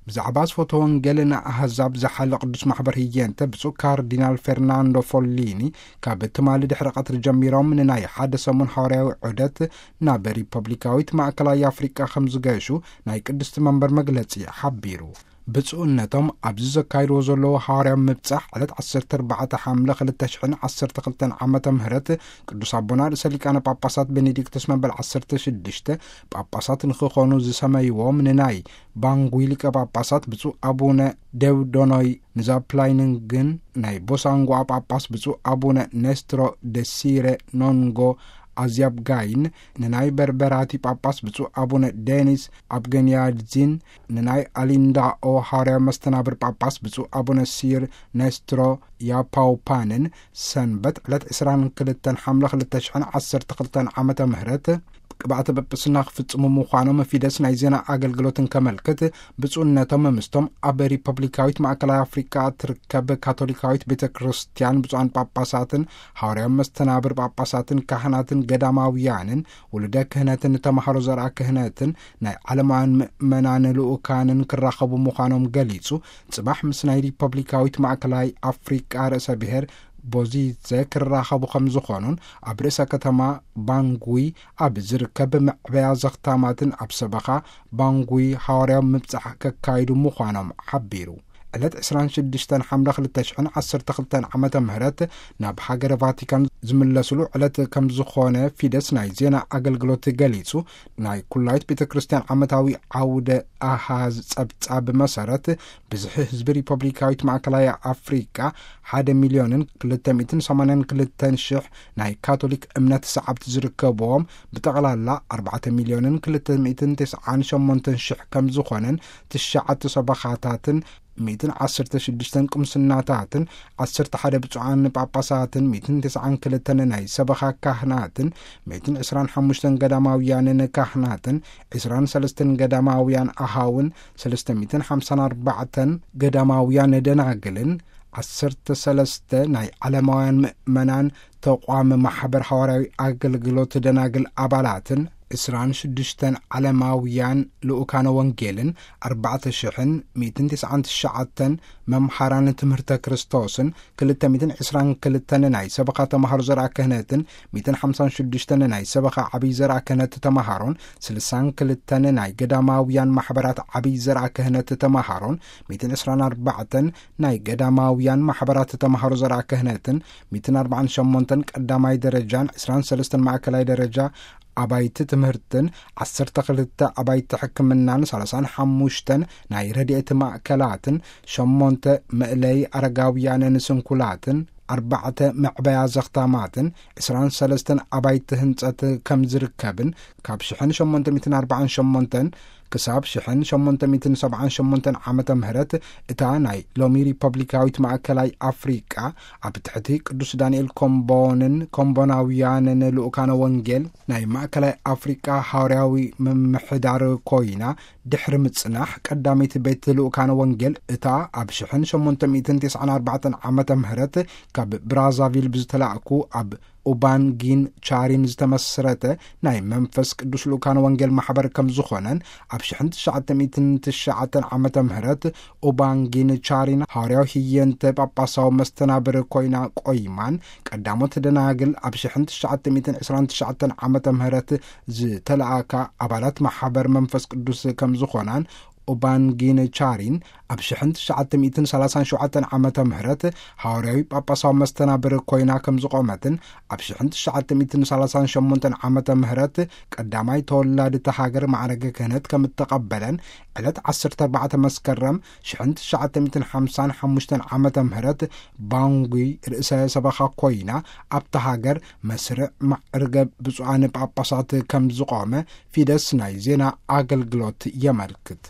ብዛዕባ ስፎተ ወንጌል ንኣህዛብ ዝሓለ ቅዱስ ማሕበር ህየንተ ብፁዕ ካርዲናል ፌርናንዶ ፎሊኒ፣ ካብ ትማሊ ድሕሪ ቀትሪ ጀሚሮም ንናይ ሓደ ሰሙን ሃዋርያዊ ዑደት ናብ ሪፐብሊካዊት ማእከላይ ኣፍሪቃ ከም ዝገሹ ናይ ቅድስቲ መንበር መግለጺ ሓቢሩ። ብፁዕነቶም ኣብዚ ዘካይድዎ ዘለዉ ሃዋርያዊ ምብጻሕ ዕለት ዓሰርተ ኣርባዕተ ሓምለ ክልተ ሽሕን ዓሰርተ ክልተን ዓመተ ምህረት ቅዱስ ኣቦና ርእሰ ሊቃነ ጳጳሳት ቤኔዲክቶስ መበል ዓሰርተ ሽዱሽተ ጳጳሳት ንክኾኑ ዝሰመይዎም ንናይ ባንጉይ ሊቀ ጳጳሳት ብፁዕ ኣቡነ ደውዶኖይ ንዛፕላይንግን ናይ ቦሳንጓ ጳጳስ ብፁዕ ኣቡነ ኔስትሮ ደሲረ ኖንጎ ኣዝያብጋይን፣ ንናይ በርበራቲ ጳጳስ ብፁዕ ኣቡነ ዴኒስ ኣብገንያድዚን፣ ንናይ ኣሊንዳኦ ሃዋርያዊ መስተናብር ጳጳስ ብፁዕ ኣቡነ ሲር ኔስትሮ ያፓውፓንን ሰንበት ዕለት ዕስራን ክልተን ሓምለ ክልተ ሽሕን ዓሰርተ ክልተን ዓመተ ምህረት ቅብኣተ ጵጵስና ክፍጽሙ ምዃኖም ፊደስ ናይ ዜና ኣገልግሎትን ከመልክት፣ ብፁዕነቶም ምስቶም ኣብ ሪፐብሊካዊት ማእከላይ ኣፍሪቃ ትርከብ ካቶሊካዊት ቤተ ክርስቲያን ብፁዓን ጳጳሳትን ሃዋርያዊ መስተናብር ጳጳሳትን ካህናትን ገዳማውያንን ውሉደ ክህነትን ተማሃሮ ዘርኣ ክህነትን ናይ ዓለማውያን ምእመናን ልኡካንን ክራኸቡ ምዃኖም ገሊጹ፣ ጽባሕ ምስ ናይ ሪፐብሊካዊት ማእከላይ ኣፍሪቃ ርእሰ ብሔር ቦዚዘ ክራኸቡ ከም ዝኾኑን ኣብ ርእሰ ከተማ ባንጉይ ኣብ ዝርከብ መዕበያ ዘኽታማትን ኣብ ሰበኻ ባንጉይ ሃዋርያዊ ምብጻሕ ከካይዱ ምዃኖም ሓቢሩ። ዕለት ዕስራን ሽዱሽተን ሓምለ ክልተ ሽሕን ዓሰርተ ክልተን ዓመተ ምህረት ናብ ሃገረ ቫቲካን ዝምለስሉ ዕለት ከም ዝኾነ ፊደስ ናይ ዜና ኣገልግሎት ገሊጹ። ናይ ኩላይት ቤተ ክርስቲያን ዓመታዊ ዓውደ ኣሃዝ ጸብጻብ መሰረት፣ ብዝሒ ህዝቢ ሪፐብሊካዊት ማእከላይ ኣፍሪቃ ሓደ ሚልዮንን ክልተ ሚእትን ሰማንያን ክልተን ሽሕ ናይ ካቶሊክ እምነት ሰዓብቲ ዝርከብዎም፣ ብጠቕላላ ኣርባዕተ ሚልዮንን ክልተ ሚእትን ተስዓን ሸሞንተን ሽሕ ከም ዝኾነን፣ ትሽዓተ ሰበኻታትን ሚእትን ዓሰርተ ሽዱሽተን ቅምስናታትን፣ ዓሰርተ ሓደ ብፁዓን ጳጳሳትን፣ ሚእትን ተስዓን ክልተን ናይ ሰበኻ ካህናትን፣ ሚእትን ዕስራን ሓሙሽተን ገዳማውያንን ካህናትን፣ ዕስራን ሰለስተን ገዳማውያን ኣሃውን፣ ሰለስተ ሚእትን ሓምሳን ኣርባዕተን ገዳማውያን ደናግልን፣ ዓሰርተ ሰለስተ ናይ ዓለማውያን ምእመናን ተቋም ማሕበር ሃዋርያዊ ኣገልግሎት ደናግል ኣባላትን፣ ዕስራን ሽዱሽተን ዓለማውያን ልኡካነ ወንጌልን፣ ኣርባዕተ ሽሕን ሚእትን ተስዓን ትሽዓተን መምሃራን ትምህርተ ክርስቶስን፣ ክልተ ሚእትን ዕስራን ክልተን ናይ ሰበኻ ተማሃሮ ዘርኣ ክህነትን፣ ሚእትን ሓምሳን ሽዱሽተን ናይ ሰበኻ ዓብይ ዘርኣ ክህነት ተማሃሮን፣ ስልሳን ክልተን ናይ ገዳማውያን ማሕበራት ዓብይ ዘርኣ ክህነት ተማሃሮን፣ ሚእትን ዕስራን ኣርባዕተን ናይ ገዳማውያን ማሕበራት ተማሃሮ ዘርኣ ክህነትን፣ ሚእትን ኣርባዓን ሸሞንተን ቀዳማይ ደረጃን፣ ዕስራን ሰለስተን ማእከላይ ደረጃ ኣባይቲ ትምህርትን፣ ዓሰርተ ክልተ ኣባይቲ ሕክምናን፣ ሰላሳን ሓሙሽተን ናይ ረድኤት ማእከላትን፣ ሸሞንተ መእለይ ኣረጋውያንን ስንኩላትን፣ ኣርባዕተ መዕበያ ዘኽታማትን፣ ዕስራን ሰለስተን ኣባይቲ ህንጸት ከም ዝርከብን፣ ካብ ሽሕን ሸሞንተ ሚእትን ኣርባዓን ሸሞንተን ክሳብ ሽሕን ሸሞንተ ሚእትን ሰብዓን ሸሞንተን ዓመተ ምህረት እታ ናይ ሎሚ ሪፐብሊካዊት ማእከላይ ኣፍሪቃ ኣብ ትሕቲ ቅዱስ ዳንኤል ኮምቦንን ኮምቦናውያንን ልኡካነ ወንጌል ናይ ማእከላይ ኣፍሪቃ ሃዋርያዊ ምምሕዳር ኮይና ድሕሪ ምጽናሕ፣ ቀዳመይቲ ቤት ልኡካነ ወንጌል እታ ኣብ ሽሕን ሸሞንተ ሚእትን ተስዓን ኣርባዕተን ዓመተ ምህረት ካብ ብራዛቪል ብዝተላእኩ ኣብ ኡባንጊን ቻሪን ዝተመስረተ ናይ መንፈስ ቅዱስ ልኡካነ ወንጌል ማሕበር ከም ዝኾነን፣ ኣብ ሽሕን ትሽዓተ ሚእትን ትሽዓተን ዓመተ ምህረት ኡባንጊን ቻሪን ሃዋርያዊ ህየንተ ጳጳሳዊ መስተናብር ኮይና ቆይማን፣ ቀዳሞት ደናግል ኣብ ሽሕን ትሽዓተ ሚእትን ዕስራን ትሽዓተን ዓመተ ምህረት ዝተለኣካ ኣባላት ማሕበር መንፈስ ቅዱስ ከም ዝኾናን፣ ኡባንጊን ቻሪን ኣብ ሽሕን ትሽዓተ ሚእትን ሰላሳን ሸውዓተን ዓመተ ምህረት ሃዋርያዊ ጳጳሳዊ መስተናብር ኮይና ከም ዝቖመትን፣ ኣብ ሽሕን ትሽዓተ ሚእትን ሰላሳን ሸሞንተን ዓመተ ምህረት ቀዳማይ ተወላዲት ሃገር ማዕረገ ክህነት ከም እተቐበለን፣ ዕለት ዓሰርተ ኣርባዕተ መስከረም ሽሕን ትሽዓተ ሚእትን ሓምሳን ሓሙሽተን ዓመተ ምህረት ባንጉይ ርእሰ ሰበኻ ኮይና ኣብታ ሃገር መስርዕ ማዕርገ ብፁዓን ጳጳሳት ከም ዝቖመ ፊደስ ናይ ዜና ኣገልግሎት የመልክት።